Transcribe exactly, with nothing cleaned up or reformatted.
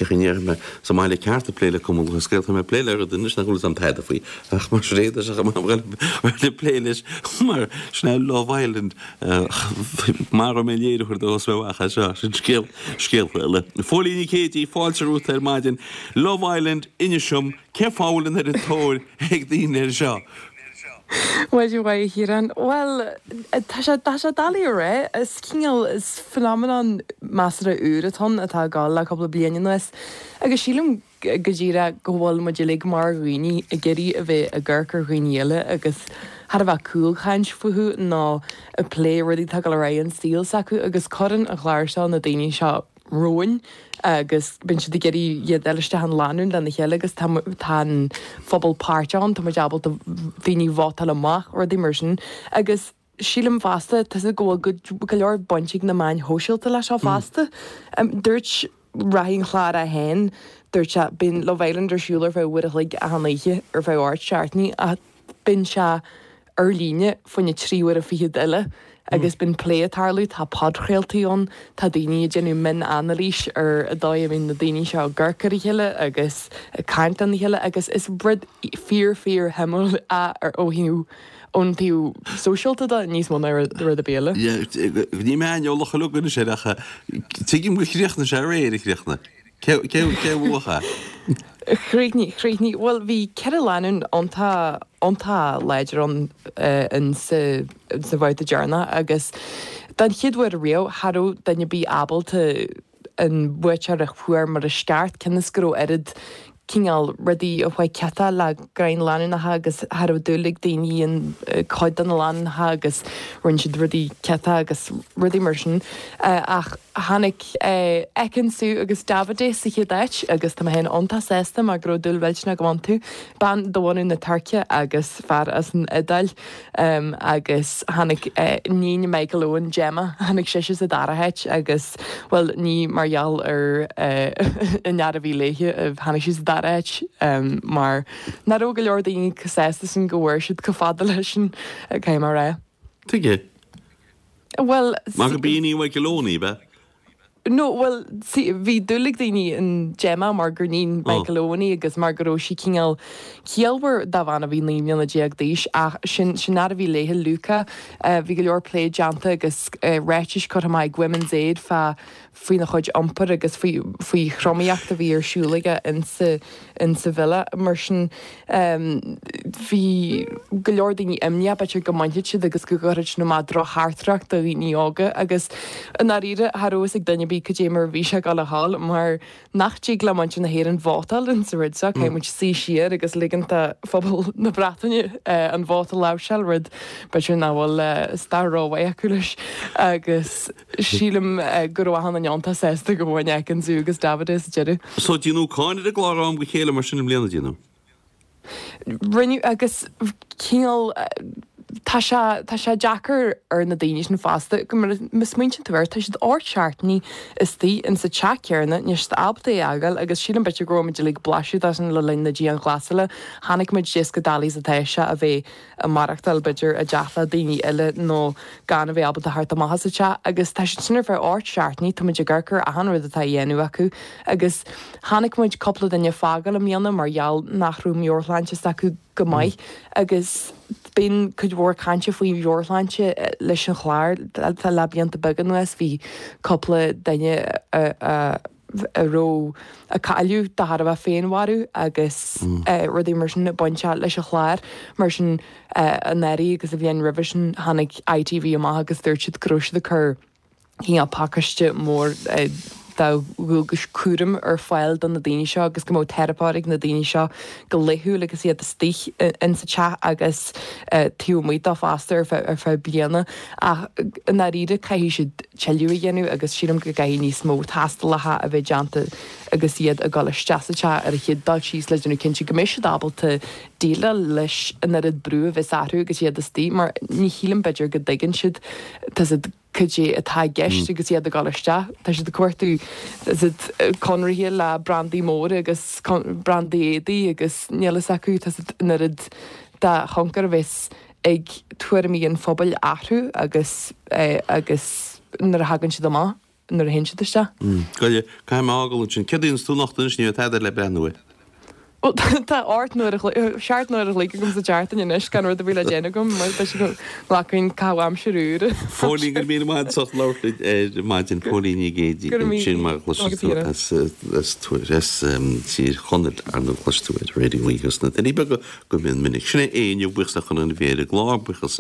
Cé chaoi ndéarfaidh mé sa mbaile ceart ag plé le Cumann Lúthchleas Gael, tá mé ag plé le rud anois nach bhfuil fhios a'm tada faoi ach mar sin é tá sé chomh maith le plé leis mar sin é Love Island mara mé léiriú ar do thosú amach as seo sin scéal scéal eile. Phóilín Nic Géidigh, fáilte romhat ar maidin. Love Island, inis dom, cén fáth a bhfuil an oiread tóir ag daoine air seo? Maidin mhaith a Chiaráin. Bhuel, tá sé tá sé doiligh a rá. Is cineál is phenomenon measartha úr atá ann atá ag gabháil le cúpla bliain anuas agus sílim go díreach go bhfuil muid uilig mar dhaoine ag iarraidh a bheith ag amharc ar dhaoine eile agus thar a bheith cúlchaint fúthu nó ag plé rudaí atá ag dul ar aghaidh an saol s'acu agus cuireann an clár seo na daoine seo romhainn agus bíonn siad ag iarraidh iad a fháil isteach in lánúin lena chéile agus tá tá an phobal páirteach ann, tá muid ábalta daoine a vótáil amach, rudaí mar sin. Agus sílim fosta, tá go bhfuil go leor baint ag na meáin shóisialta leis seo fosta. Dúirt reathaí an chláir é féin, dúirt sé, bíonn Love Island ar siúl ar feadh uair a chloig achan oíche ar feadh ocht seachtainí ach bíonn sé ar líne fá choinne trí uaire fichead eile agus bíonn plé ag tarlú, tá podchraoltaí ann, tá daoine ag déanamh mion-anailís ar an dóigh a mbíonn na daoine seo ag amharc ar a chéile agus ag caint lena chéile agus is rud fíor fíor shuimiúil é ar ó thaobh ón taobh sóisialta de níos mó ná rud ar bith eile. Ní mé aineolach uilig anois air ach tuigim gur chríochnaigh sé aréir a chríochnaigh. Cé cé bhuaigh é? Chríochnaigh, chríochnaigh, bhuel bhí ceithre lánúin iontach, iontach láidir ann in sa, sa bhabhta deireanach agus don chéad uair riamh cha raibh duine ar bith ábalta an buaiteoir a thuar mar is ceart cionn is go raibh oiread cineál rudaí a chuaigh ciotach le greim lánúineacha agus cha raibh dúil ag daoine in cuid de na lánúineacha agus rinne siad rudaí ciotach agus rudaí mar sin ach tháinig Ekin-Su agus Davide sa chéad áit agus tá mé féin iontach sásta mar go raibh dúil mhillteanach agam iontu, bean de bhunadh na Tuirce agus fear as an Iodáil agus tháinig níon Michael Owen, Gemma, tháinig sise sa dara háit agus bhuel ní mar gheall ar an fhear a bhí léi a tháinig sí sa dara háit mar nach raibh go leor daoine chomh sásta sin go bhfuair siad chomh fada leis sin, caithfidh mé a rá. Tuige? Bhuel. Mar go b'í iníon Mhichael Owen í, ab ea? No, bhuel, see, bhí dúil ag daoine in Gemma mar gur níon Michael Owen í agus mar go raibh sí cineál ciallmhar do bhean a bhí naoi mbliana déag d'aois ach sin, sin fhear a bhí léi, Luca. Bhí go leor plé déanta agus ráitis curtha amach ag Women's Aid fá faoina chuid iompair agus faoi faoi thromaíocht a bhí ar siúl aige insa insa villa. Mar sin bhí go leor daoine imníoch b'fhéidir go mbainfeadh siad agus go gcuirfeadh sin amach drochtheachtaireacht do dhaoine óga agus i ndáiríre cha raibh fhios ag duine ar bith cad é mar a bhí sé ag dul a dhul mar nach dtig le muintir na hÉireann vótáil insa rud seo, caithfidh muid suí siar agus ligint do phobal na Breataine an vóta a láimhseáil, rud b'fhéidir nach bhfuil stair rómhaith acu leis agus sílim go raibh achan duine iontach sásta go bhain Ekin-Su agus Davide sa deireadh. So déanadh cáineadh ar an gclár ó am go chéile mar sin i mbliana, déanadh? Rinneadh agus cineál tá sé tá sé deacair ar na daoine sin fosta go mar má smaointíonn tú air tá siad ocht seachtainí istigh insa teach céanna níl siad ábalta é a fhágáil agus sílim b'fhéidir go raibh muid uilig blaiseadh de sin le linn na dianghlasála chonaic muid cé chomh doiligh is atá sé a bheith ag maireachtáil b'fhéidir i dteach le daoine eile nó gan a bheith ábalta theacht amach as an teach agus tá siad sin ar feadh ocht seachtainí, tá muid ag amharc ar achan rud atá á dhéanamh acu agus chonaic muid cúpla duine ag fágáil i mbliana mar gheall nach raibh meabhairshláinte s'acu go maith agus bíonn cuid mhór cainte faoi mheabhairshláinte leis an chlár le blianta beaga anuas, bhí cúpla duine a a a raibh a cailleadh de thairbhe féinmharú agus rudaí mar sin ag baint leis an chlár. Mar sin anuraidh agus an bhliain roimhe sin tháinig I T V amach agus dúirt siad go raibh siad ag cur cineál pacáiste mór de dhualgais cúraim ar fáil do na daoine seo agus go mbeadh teiripeoir ag na daoine seo go laethúil agus iad istigh insa teach agus taobh amuigh dó fosta ar feadh ar feadh bliana. Ach i ndáiríre caithfidh siad tuilleadh a dhéanamh agus sílim go gcaithfidh níos mó tástálacha a bheith déanta agus iad ag dul isteach sa teach ar an chéad dul síos le déanamh cinnte go mbeidh siad ábalta déileáil leis an oiread brú a bheas orthu agus iad istigh mar ní shílim b'fhéidir go dtuigeann siad tá siad cad é atá i gceist agus iad ag dul isteach. Tá siad ag cuartú tá siad conraithe le brandaí móra agus brandaí éadaí agus níl fhios acu tá siad an oiread de thionchar a bheas ag tuairimí an phobail orthu agus agus nuair a thagann siad amach. nuair a théann siad isteach. Goile, caithfidh mé a fhágáil ansin. Céard a dhéanfas tú anocht anois, ní raibh tada le breathnú air. Bhuel, tá ocht n-uair a chloig, seacht n-uair a chloig agam sa tseachtain anois gan rud ar bith le déanamh agam, mar tá sé go nglacfainn caitheamh aimsire úr. Póilín, go raibh míle maith agat as ucht labhairt linn ar maidin, Póilín Ní Ghéidigh Go raibh míle ansin mar a chloisfidh tú maith as as as Tír Chonaill ar ndóigh cloisfidh tú ar Raidió agus na Doirí Beaga go mion minic. Sin é inniu, buíochas le Conor Ní Bhéar i gclár, buíochas